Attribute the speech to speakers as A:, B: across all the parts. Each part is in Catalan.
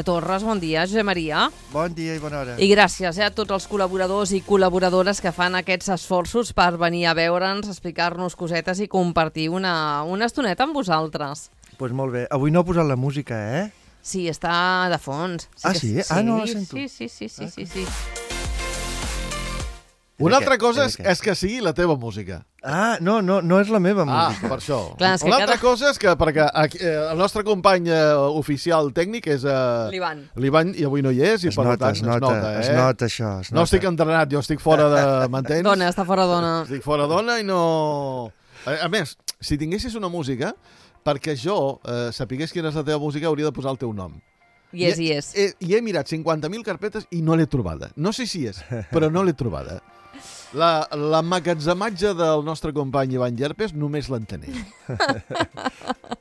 A: Torres, bon dia. Josep Maria.
B: Bon dia i bona hora.
A: I gràcies a tots els col·laboradors i col·laboradores que fan aquests esforços per venir a veure'ns, explicar-nos cosetes i compartir una estoneta amb vosaltres.
B: Doncs pues molt bé. Avui no ha posat la música, eh?
A: Sí, està de fons.
B: Sí? No la sento.
A: Sí.
C: Una altra cosa és que sigui la teva música.
B: No és la meva música.
C: Per això.
A: Clar,
C: Una altra cosa és que perquè el nostre company oficial tècnic és l'Ivan i avui no hi és i per tant es nota
B: això.
C: No estic entrenat, jo estic fora de... M'entens?
A: Dona, està fora dona.
C: Estic fora dona i no... A més, si tinguessis una música, perquè jo sapigués quina és la teva música, hauria de posar el teu nom.
A: I és.
C: I he mirat 50.000 carpetes i no l'he trobada. No sé si és, però no l'he trobada. L'emmagatzematge del nostre company Ivan Llerpes només l'entenem.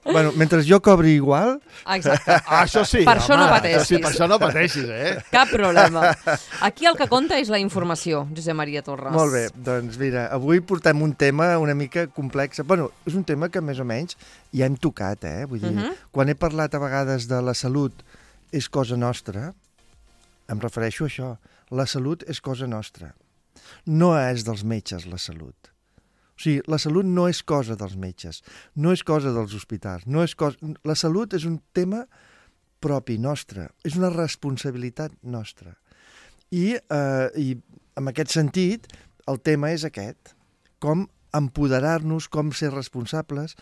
B: Bueno, mentre jo cobri igual...
A: Exacte.
C: Això sí.
A: Per això no pateixis.
C: Sí, per això no pateixis,
A: Cap problema. Aquí el que compta és la informació, Josep Maria Torres.
B: Molt bé, doncs mira, avui portem un tema una mica complex. Bueno, és un tema que més o menys ja hem tocat, Vull dir, quan he parlat a vegades de la salut és cosa nostra, em refereixo a això. La salut és cosa nostra. No és dels metges, la salut. O sigui, la salut no és cosa dels metges, no és cosa dels hospitals, La salut és un tema propi nostre, és una responsabilitat nostra. I en aquest sentit, el tema és aquest, com empoderar-nos, com ser responsables.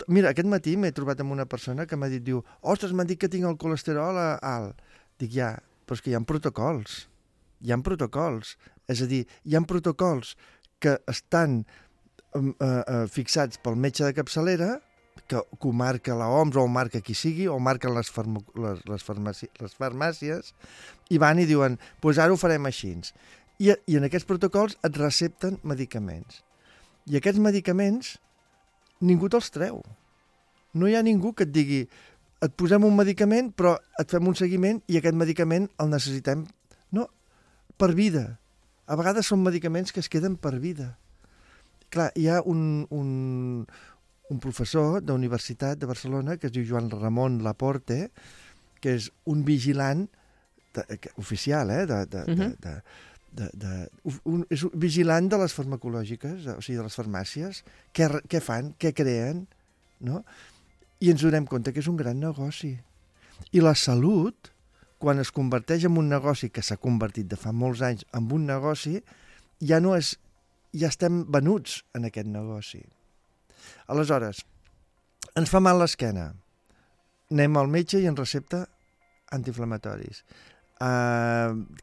B: Mira, aquest matí m'he trobat amb una persona que m'ha dit, ostres, m'han dit que tinc el colesterol alt. Dic, ja, però és que hi ha protocols. Hi ha protocols. És a dir, hi ha protocols que estan fixats pel metge de capçalera, que ho marca l'OMS o ho marca qui sigui, o marquen les farmàcies, i van i diuen, doncs ara ho farem així. I en aquests protocols et recepten medicaments. I aquests medicaments ningú te'ls treu. No hi ha ningú que et digui, et posem un medicament, però et fem un seguiment i aquest medicament el necessitem, per vida. A vegades són medicaments que es queden per vida. Clar, hi ha un professor de la Universitat de Barcelona que es diu Joan Ramon Laporte, que és un vigilant oficial, és un vigilant de les farmacològiques, o sigui, de les farmàcies, què fan, què creen, no? I ens donem compte que és un gran negoci. I la salut, quan es converteix en un negoci que s'ha convertit de fa molts anys en un negoci, ja estem venuts en aquest negoci. Aleshores, ens fa mal l'esquena. Anem al metge i ens recepta antiinflamatoris,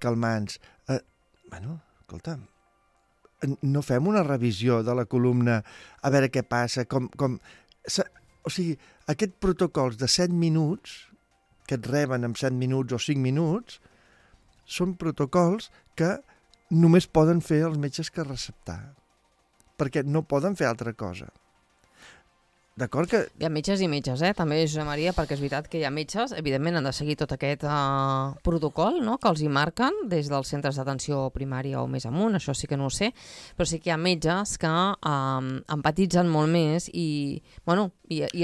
B: calmants. Escolta, no fem una revisió de la columna a veure què passa, o sigui, aquests protocols de 7 minuts que et reben en 7 minuts o 5 minuts, són protocols que només poden fer els metges que receptar, perquè no poden fer altra cosa. D'acord que...
A: Hi ha metges i metges, també, Josep Maria, perquè és veritat que hi ha metges, evidentment han de seguir tot aquest protocol, no?, que els hi marquen des dels centres d'atenció primària o més amunt, això sí que no ho sé, però sí que hi ha metges que empatitzen molt més i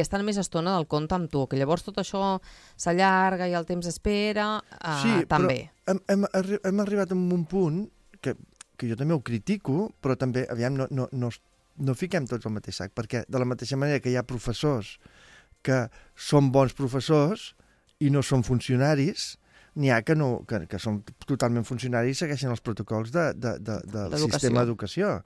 A: estan més estona del compte amb tu, que llavors tot això s'allarga i el temps espera, també.
B: Sí, però hem arribat a un punt que jo també ho critico, però també, aviam, no fiquem tots al mateix sac, perquè de la mateixa manera que hi ha professors que són bons professors i no són funcionaris, n'hi ha que són totalment funcionaris i segueixen els protocols del sistema d'educació.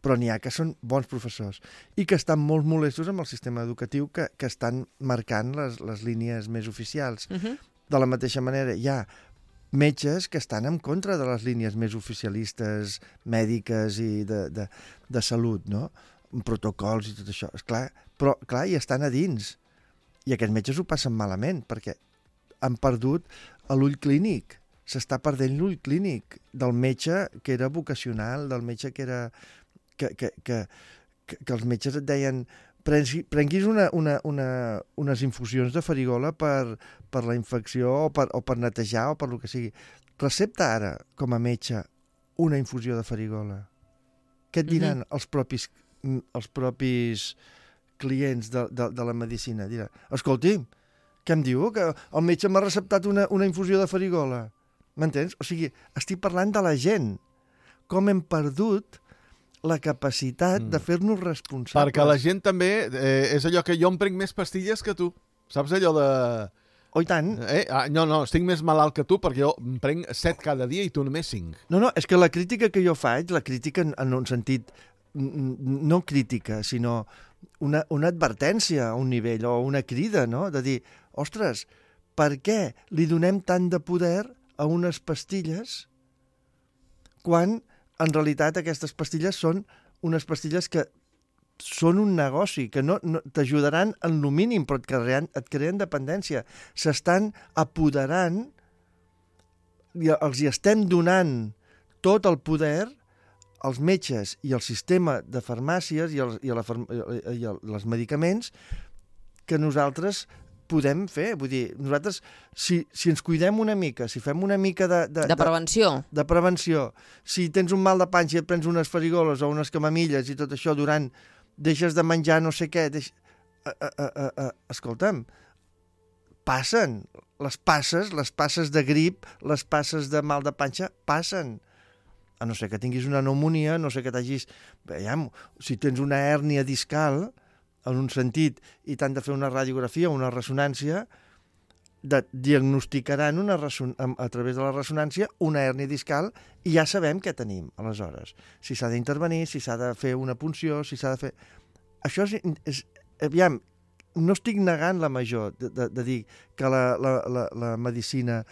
B: Però n'hi ha que són bons professors i que estan molt molestos amb el sistema educatiu que estan marcant les línies més oficials. De la mateixa manera, hi ha metges que estan en contra de les línies més oficialistes, mèdiques i de salut, no? Protocols i tot això. Però, clar, hi estan a dins. I aquests metges ho passen malament, perquè han perdut l'ull clínic. S'està perdent l'ull clínic del metge que era vocacional, del metge que era... que els metges et deien prenguis unes infusions de farigola per la infecció o per netejar o per el que sigui. Recepta ara, com a metge, una infusió de farigola. Què et diran els propis clients de la medicina? Diran, escolti, Què em diu? Que el metge m'ha receptat una infusió de farigola. M'entens? O sigui, estic parlant de la gent. Com hem perdut la capacitat de fer-nos responsables.
C: Perquè la gent també és allò que jo em prenc més pastilles que tu. Saps allò de...
B: Oh, i tant.
C: No, estic més malalt que tu perquè jo em prenc 7 cada dia i tu només 5.
B: No, és que la crítica que jo faig, la crítica en un sentit, no crítica, sinó una advertència a un nivell o una crida, no? De dir, ostres, per què li donem tant de poder a unes pastilles quan en realitat aquestes pastilles són unes pastilles que són un negoci, que no t'ajudaran en lo mínim, però et creen dependència. S'estan apoderant, els hi estem donant tot el poder als metges i al sistema de farmàcies i els medicaments que nosaltres podem fer. Vull dir, nosaltres, si ens cuidem una mica, si fem una mica
A: de prevenció.
B: De prevenció, si tens un mal de panxa i et prens unes farigoles o unes camamilles i tot això deixes de menjar no sé què, escolta'm, passen. Les passes de grip, les passes de mal de panxa, passen. A no ser que tinguis una pneumonia, no sé que t'hagis... Veiem, si tens una hèrnia discal, en un sentit, i t'han de fer una radiografia o una ressonància, diagnosticaran a través de la ressonància una hèrnia discal i ja sabem què tenim, aleshores. Si s'ha d'intervenir, si s'ha de fer una punció, si s'ha de fer... Això és... Aviam, no estic negant la major de dir que la medicina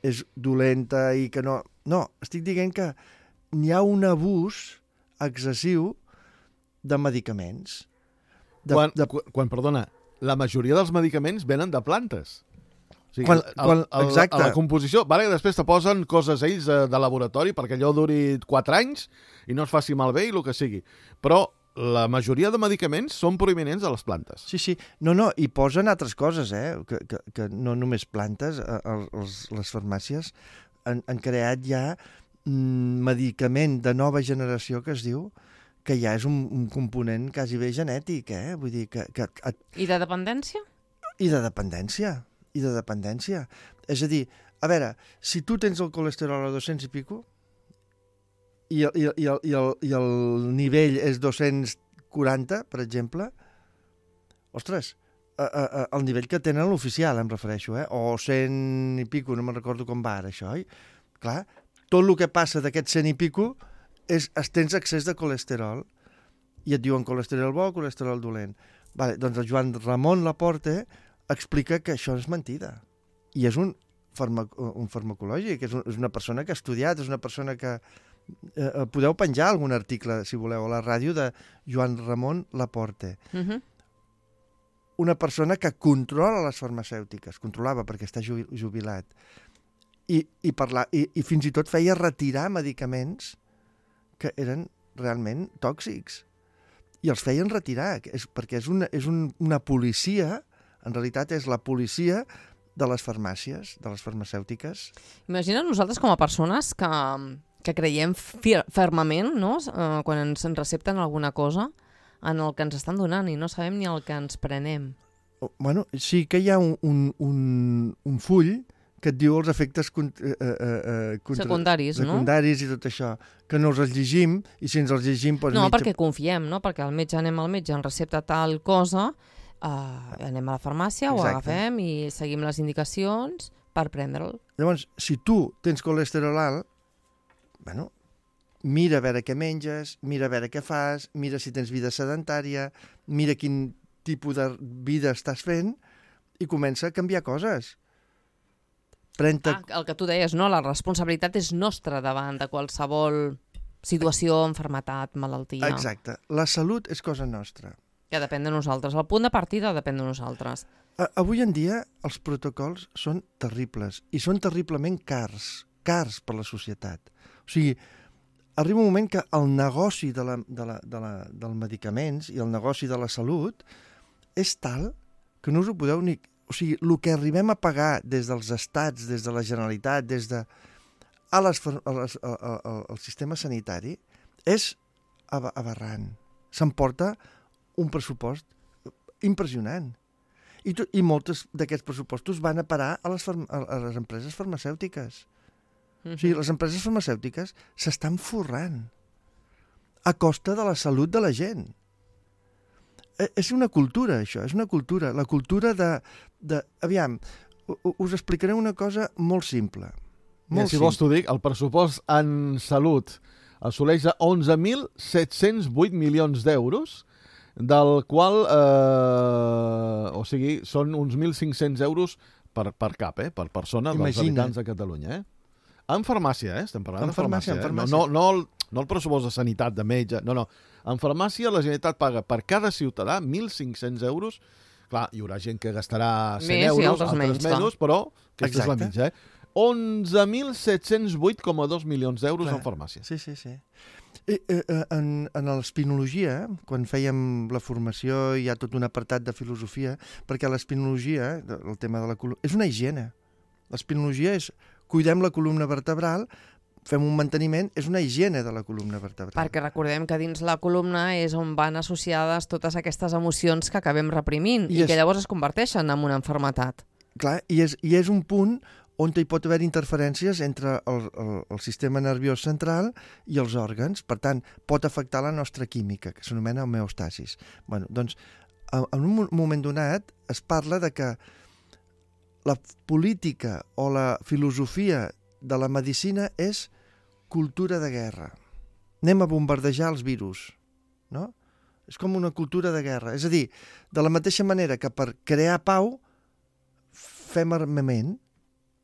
B: és dolenta i que no... No, estic dient que n'hi ha un abús excessiu de medicaments.
C: Perdona, la majoria dels medicaments venen de plantes. O sigui,
B: exacte.
C: A la composició, vale, després te posen coses ells de laboratori perquè allò duri 4 anys i no es faci malbé i el que sigui. Però la majoria de medicaments són provinents de les plantes.
B: Sí. No, i posen altres coses, que no només plantes. Les farmàcies han creat ja medicament de nova generació que es diu que ja és un component quasi bé genètic, Vull dir que...
A: I de dependència?
B: I de dependència. És a dir, a veure, si tu tens el colesterol a 200 i pico i el nivell és 240, per exemple, ostres, el nivell que tenen l'oficial, em refereixo, o 100 i pico, no me'n recordo com va ara això, oi? Clar, tot el que passa d'aquest 100 i pico tens excés de colesterol i et diuen colesterol bo o colesterol dolent. Vale, doncs el Joan Ramon Laporte explica que això és mentida. I és un farmacològic, és una persona que ha estudiat, és una persona que... podeu penjar algun article, si voleu, a la ràdio de Joan Ramon Laporte. Una persona que controla les farmacèutiques, controlava perquè està jubilat, i fins i tot feia retirar medicaments que eren realment tòxics. I els feien retirar, perquè és una policia, en realitat és la policia de les farmàcies, de les farmacèutiques.
A: Imagina't nosaltres com a persones que creiem fermament, no? Quan ens recepten alguna cosa en el que ens estan donant i no sabem ni el que ens prenem.
B: Bueno, sí que hi ha un full que et diu els efectes
A: secundaris, no?
B: Secundaris i tot això, que no els llegim, i si ens els llegim... Doncs
A: no, perquè confiem, no? Perquè anem al metge, ens recepta tal cosa, anem a la farmàcia, ho agafem i seguim les indicacions per prendre'l.
B: Llavors, si tu tens colesterol alt, bueno, mira a veure què menges, mira a veure què fas, mira si tens vida sedentària, mira quin tipus de vida estàs fent i comença a canviar coses.
A: El que tu deies, no? La responsabilitat és nostra davant de qualsevol situació, malaltia, malaltia.
B: Exacte. La salut és cosa nostra.
A: Que depèn de nosaltres. El punt de partida depèn de nosaltres.
B: Avui en dia els protocols són terribles i són terriblement cars per la societat. O sigui, arriba un moment que el negoci dels medicaments i el negoci de la salut és tal que no us ho podeu ni... O sigui, el que arribem a pagar des dels estats, des de la Generalitat, al sistema sanitari, és aberrant. S'emporta un pressupost impressionant. I molts d'aquests pressupostos van a parar a les empreses farmacèutiques. O sigui, les empreses farmacèutiques s'estan forrant a costa de la salut de la gent. És una cultura, això, és una cultura. La cultura aviam, us explicaré una cosa molt simple.
C: Si vols t'ho dic, el pressupost en salut assoleix 11.708 milions d'euros, del qual, o sigui, són uns 1.500 euros per cap, per persona dels habitants de Catalunya. En farmàcia, estem parlant de farmàcia. No el pressupost de sanitat, de metge, no. En farmàcia la Generalitat paga per cada ciutadà 1.500 euros. Clar, hi haurà gent que gastarà 100 euros, altres menys, però aquesta és la mitja. 11.708,2 milions d'euros en farmàcia.
B: Sí. En l'espinologia, quan fèiem la formació, hi ha tot un apartat de filosofia, perquè l'espinologia, el tema de la columna, és una higiene. L'espinologia és cuidem la columna vertebral, fem un manteniment, és una higiene de la columna vertebral.
A: Perquè recordem que dins la columna és on van associades totes aquestes emocions que acabem reprimint i que llavors es converteixen en una malaltia.
B: Clar, i és un punt on hi pot haver interferències entre el sistema nerviós central i els òrgans. Per tant, pot afectar la nostra química, que s'anomena homeostasis. Doncs, en un moment donat es parla de que la política o la filosofia de la medicina és cultura de guerra. Anem a bombardejar els virus, no? És com una cultura de guerra. És a dir, de la mateixa manera que per crear pau fem armament,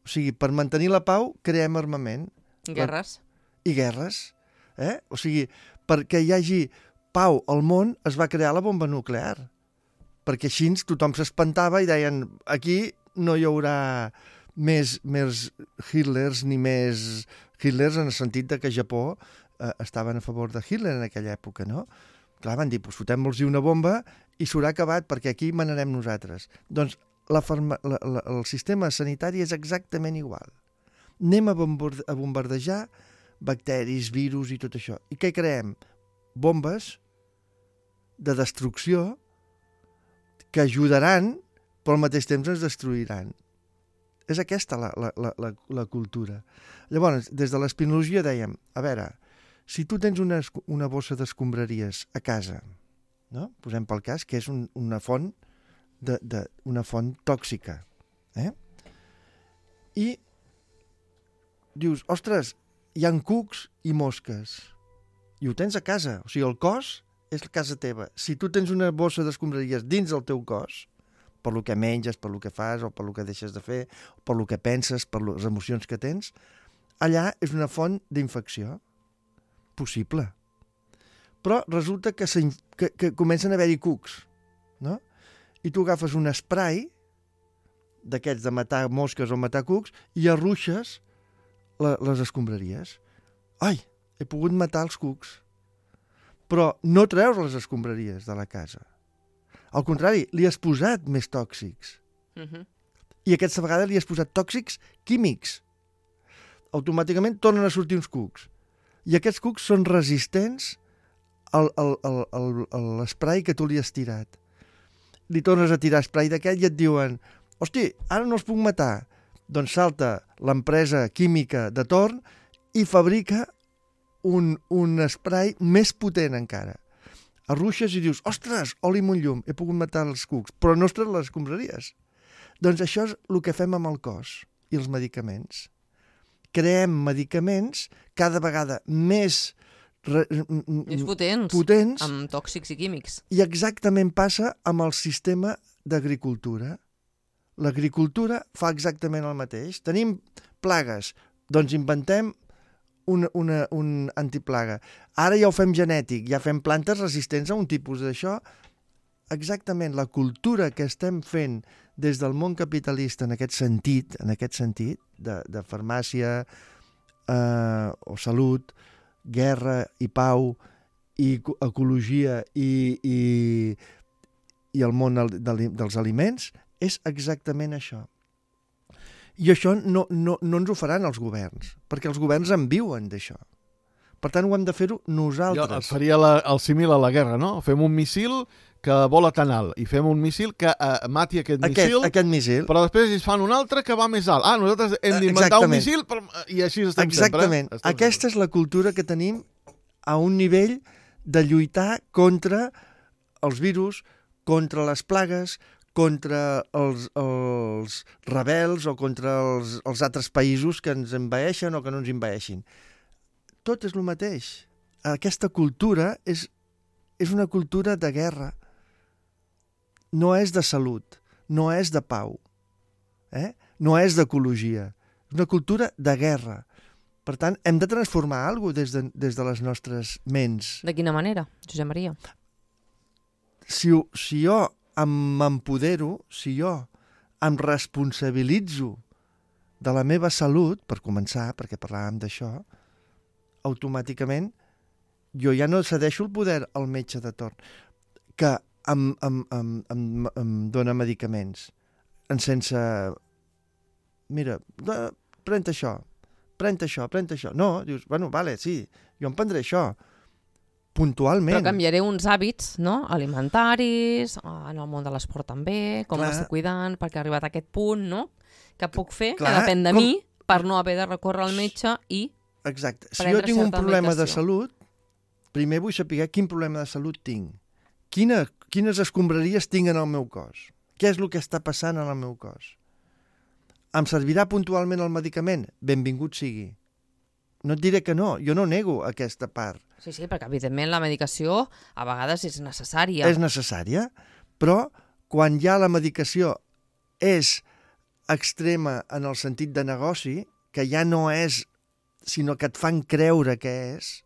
B: o sigui, per mantenir la pau creem armament.
A: Guerres.
B: I guerres. O sigui, perquè hi hagi pau al món es va crear la bomba nuclear. Perquè així tothom s'espantava i deien aquí no hi haurà més Hitlers ni més Hitlers en el sentit de que Japó estaven a favor de Hitler en aquella època, no? Clar, van dir, fotem-los-hi una bomba i s'haurà acabat perquè aquí manarem nosaltres. Doncs el sistema sanitari és exactament igual. Anem a bombardejar bacteris, virus i tot això. I què creem? Bombes de destrucció que ajudaran però al mateix temps ens destruiran. És aquesta la cultura. Llavors, des de l'espinologia dèiem, a veure, si tu tens una bossa d'escombraries a casa, no? Posem pel cas que és una font tòxica, i dius, ostres, hi ha cucs i mosques, i ho tens a casa, o sigui, el cos és casa teva. Si tu tens una bossa d'escombraries dins del teu cos, per lo que menges, per lo que fas, o per lo que deixes de fer, per lo que penses, per les emocions que tens, allà és una font d'infecció possible. Però resulta que comencen a haver-hi cucs, no? I tu agafes un spray d'aquests de matar mosques o matar cucs i arruixes les escombraries. Ai, he pogut matar els cucs. Però no treus les escombraries de la casa. Al contrari, li has posat més tòxics. I aquesta vegada li has posat tòxics químics. Automàticament tornen a sortir uns cucs. I aquests cucs són resistents a l'esprai que tu li has tirat. Li tornes a tirar esprai d'aquell i et diuen hosti, ara no els puc matar. Doncs salta l'empresa química de torn i fabrica un esprai més potent encara. Arruixes i dius, ostres, oli amb un llum, he pogut matar els cucs, però no ostres les escombraries. Doncs això és el que fem amb el cos i els medicaments. Creem medicaments cada vegada més
A: potents, amb tòxics i químics.
B: I exactament passa amb el sistema d'agricultura. L'agricultura fa exactament el mateix. Tenim plagues, doncs inventem un antiplaga. Ara ja ho fem genètic, ja fem plantes resistents a un tipus d'això. Exactament, la cultura que estem fent des del món capitalista en aquest sentit de farmàcia o salut, guerra i pau i ecologia i el món dels aliments, és exactament això. I això no ens ho faran els governs, perquè els governs en viuen d'això. Per tant, ho hem de fer-ho
C: Jo
B: nosaltres.
C: faria el símil a la guerra, no? Fem un missil que vola tan alt i fem un missil que mati aquest missil,
B: Aquest missil.
C: però després ells fan un altre que va més alt. Nosaltres hem d'inventar un missil i així estem
B: Exactament.
C: sempre.
B: Aquesta és la cultura que tenim a un nivell de lluitar contra els virus, contra les plagues, contra els rebels o contra els altres països que ens envaeixen o que no ens envaeixin. Tot és el mateix. Aquesta cultura és una cultura de guerra. No és de salut, no és de pau, no és d'ecologia. És una cultura de guerra. Per tant, hem de transformar alguna cosa des de les nostres ments.
A: De quina manera, Josep Maria?
B: Si jo m'empodero, si jo em responsabilitzo de la meva salut, per començar, perquè parlàvem d'això, automàticament jo ja no cedeixo el poder al metge de torn, que em dona medicaments sense... Mira, pren això. No, dius, bueno, vale, sí, jo em prendré això. Puntualment.
A: Però canviaré uns hàbits, no?, alimentaris, en el món de l'esport també, com m'estic cuidant, perquè ha arribat a aquest punt, no?, que puc fer, que depèn de mi, per no haver de recórrer al metge i
B: Exacte. Si jo tinc un problema de salut, primer vull saber quin problema de salut tinc. Quines escombraries tinc en el meu cos? Què és el que està passant en el meu cos? Em servirà puntualment el medicament? Benvingut sigui. No et diré que no, jo no nego aquesta part.
A: Sí, perquè evidentment la medicació a vegades és necessària.
B: És necessària, però quan ja la medicació és extrema en el sentit de negoci, que ja no és, sinó que et fan creure que és,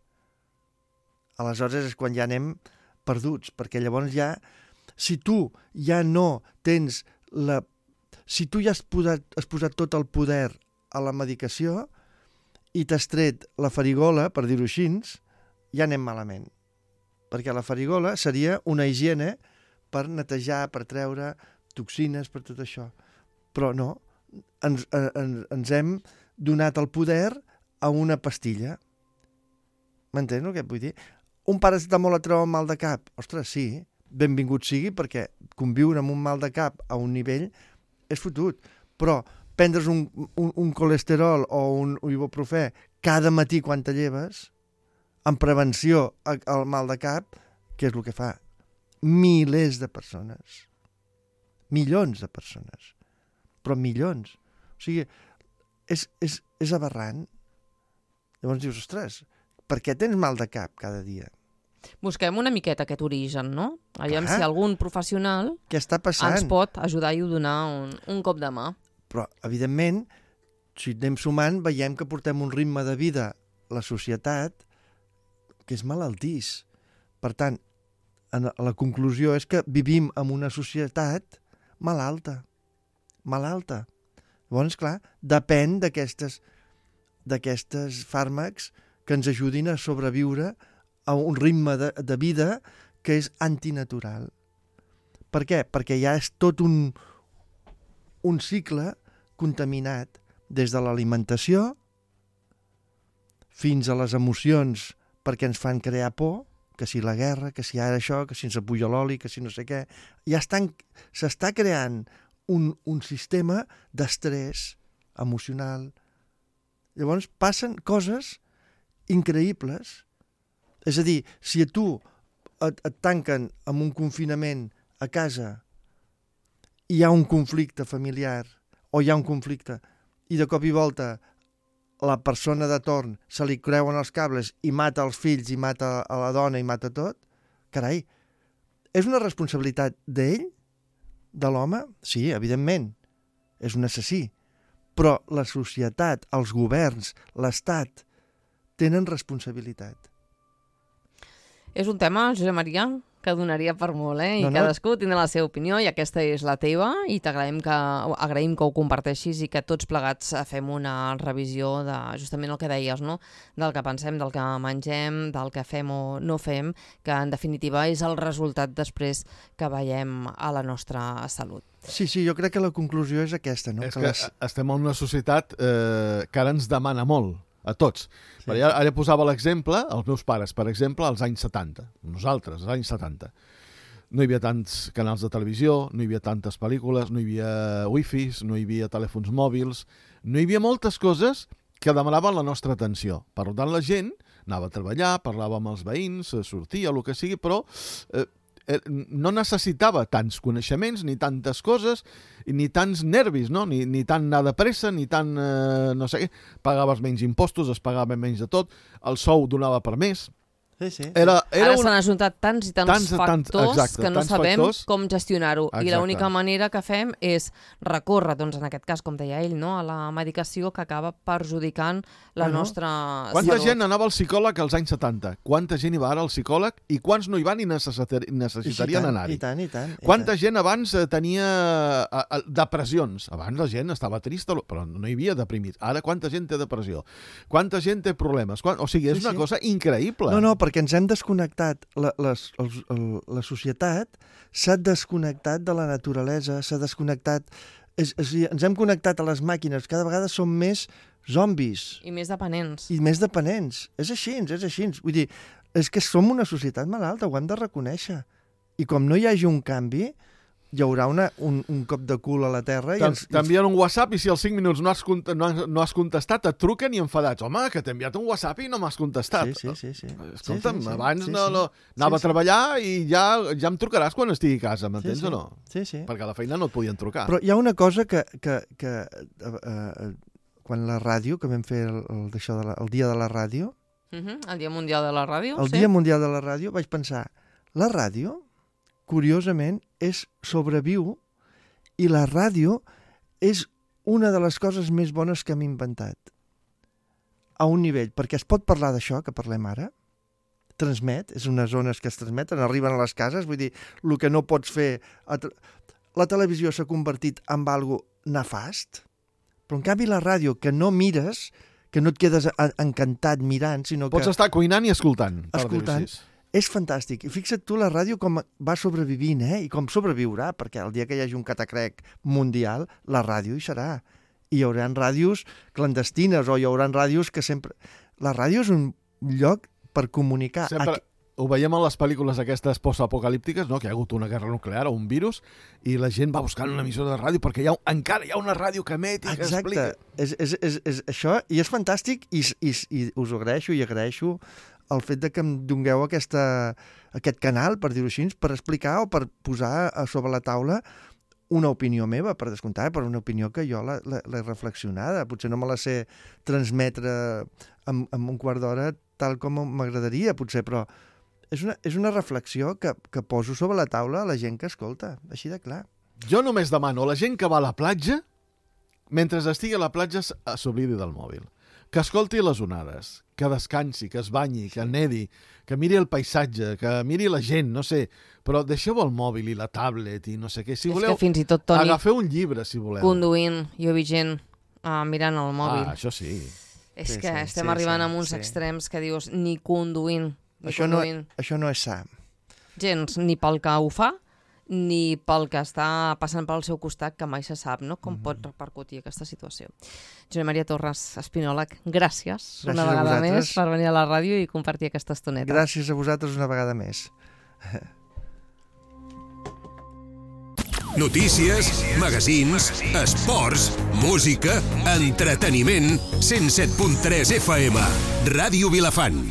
B: aleshores és quan ja anem perduts, perquè llavors ja, si tu ja no tens si tu ja has posat tot el poder a la medicació i t'has tret la farigola, per dir-ho així, ja anem malament. Perquè la farigola seria una higiene per netejar, per treure toxines, per tot això. Però no, ens hem donat el poder a una pastilla. M'entens el que et vull dir? Un paracetamol et treu un mal de cap? Ostres, sí, benvingut sigui, perquè conviure amb un mal de cap a un nivell és fotut. Però prendre's un colesterol o un ibuprofè cada matí quan te lleves, en prevenció al mal de cap, què és el que fa? Milers de persones. Milions de persones. Però milions. O sigui, és aberrant. Llavors dius, ostres, per què tens mal de cap cada dia?
A: Busquem una miqueta aquest origen, no? Aviam si algun professional
B: què està passant?
A: Ens pot ajudar i donar un cop de mà.
B: Però, evidentment, si anem sumant, veiem que portem un ritme de vida, la societat, que és malaltís. Per tant, la conclusió és que vivim en una societat malalta. Llavors, clar, depèn d'aquestes fàrmacs que ens ajudin a sobreviure a un ritme de vida que és antinatural. Per què? Perquè ja és tot un cicle contaminat des de l'alimentació fins a les emocions perquè ens fan crear por, que si la guerra, que si ara això, que si ens apuja l'oli, que si no sé què. Ja s'està creant un sistema d'estrès emocional. Llavors passen coses increïbles. És a dir, si a tu et tanquen amb un confinament a casa i hi ha un conflicte familiar o hi ha un conflicte i de cop i volta la persona de torn se li creuen els cables i mata els fills i mata a la dona i mata tot, carai, és una responsabilitat d'ell, de l'home? Sí, evidentment, és un assassí. Però la societat, els governs, l'Estat, tenen responsabilitat.
A: És un tema, Josep Maria, que donaria per molt, I cadascú tindrà la seva opinió i aquesta és la teva i agraïm que ho comparteixis i que tots plegats fem una revisió de justament el que deies, no? Del que pensem, del que mengem, del que fem o no fem, que en definitiva és el resultat després que veiem a la nostra salut.
B: Sí, jo crec que la conclusió és aquesta, no?
C: És que estem en una societat que ara ens demana molt. A tots. Sí. Ara posava l'exemple, els meus pares, per exemple, als anys 70. Nosaltres, als anys 70. No hi havia tants canals de televisió, no hi havia tantes pel·lícules, no hi havia wifis, no hi havia telèfons mòbils, no hi havia moltes coses que demanaven la nostra atenció. Per tant, la gent anava a treballar, parlava amb els veïns, sortia, el que sigui, però no necessitava tants coneixements, ni tantes coses, ni tants nervis, no? Ni tant anar de pressa, ni tant no sé què. Pagaves menys impostos, es pagava menys de tot, el sou donava per més.
B: Sí.
A: Ara s'han ajuntat tants i tants factors que no sabem com gestionar-ho. I l'única manera que fem és recórrer, doncs en aquest cas, com deia ell, no? A la medicació que acaba perjudicant la nostra
C: Quanta gent anava al psicòleg als anys 70? Quanta gent hi va ara al psicòleg? I quants no hi van i necessitarien anar-hi?
B: I tant.
C: Quanta gent abans tenia depressions? Abans la gent estava trista, però no hi havia deprimits. Ara quanta gent té depressió? Quanta gent té problemes? O sigui, és una cosa increïble.
B: No, perquè ens hem desconnectat, la societat s'ha desconnectat de la naturalesa, s'ha desconnectat, ens hem connectat a les màquines, cada vegada som més zombis.
A: I més dependents.
B: És així. Vull dir, és que som una societat malalta, ho hem de reconèixer. I com no hi hagi un canvi, hi haurà un cop de cul a la terra.
C: T'envien un WhatsApp i si als 5 minuts no has contestat, et truquen i enfadats. Home, que t'he enviat un WhatsApp i no m'has contestat.
B: Sí.
C: Escolta'm, abans anava a treballar i ja em trucaràs quan estigui a casa, m'entens o no?
B: Sí.
C: Perquè a la feina no et podien trucar.
B: Però hi ha una cosa que quan la ràdio, que vam fer el dia de la ràdio...
A: El Dia Mundial de la Ràdio,
B: El Dia Mundial de la Ràdio, vaig pensar, la ràdio, curiosament, sobreviu i la ràdio és una de les coses més bones que hem inventat. A un nivell, perquè es pot parlar d'això que parlem ara, transmet, és unes zones que es transmeten, arriben a les cases, vull dir, el que no pots fer... La televisió s'ha convertit en algo nefast, però en canvi la ràdio, que no mires, que no et quedes encantat mirant, sinó que...
C: Pots estar cuinant i escoltant.
B: És fantàstic. I fixa't tu la ràdio com va sobrevivint, i com sobreviurà, perquè el dia que hi hagi un catacrec mundial, la ràdio hi serà. I hi haurà ràdios clandestines o hi haurà ràdios que sempre... La ràdio és un lloc per comunicar.
C: Sempre ho veiem en les pel·lícules aquestes postapocalíptiques, no? Que hi ha hagut una guerra nuclear o un virus i la gent va buscant una emissora de ràdio perquè encara hi ha una ràdio que emet i que explica.
B: Exacte. És això, i és fantàstic i us ho agraeixo i agraeixo el fet de que em dongueu aquest canal, per dir-ho així, per explicar o per posar sobre la taula una opinió meva, per descomptar, per una opinió que jo l'he reflexionada. Potser no me la sé transmetre en un quart d'hora tal com m'agradaria, potser, però és una reflexió que poso sobre la taula a la gent que escolta, així de clar.
C: Jo només demano a la gent que va a la platja, mentre estigui a la platja, s'oblidi del mòbil. Que escolti les onades, que descansi, que es banyi, que nedi, que miri el paisatge, que miri la gent, no sé, però deixeu el mòbil i la tablet i no sé què. Si voleu,
A: és que fins i tot, Toni,
C: agafeu un llibre, si voleu.
A: Conduint, jo he vist gent mirant el mòbil.
C: Això sí.
A: És que estem arribant a uns extrems que dius, ni conduint.
B: Això no és sa.
A: Gens, ni pel que ho fa, ni pel que està passant pel seu costat, que mai se sap, no? Com pot repercutir aquesta situació. Josep Maria Torres, espinòleg, gràcies una vegada més per venir a la ràdio i compartir aquesta estoneta.
B: Gràcies a vosaltres una vegada més.
D: Notícies, magazins, esports, música, entreteniment, 107.3 FM, Ràdio Vilafant.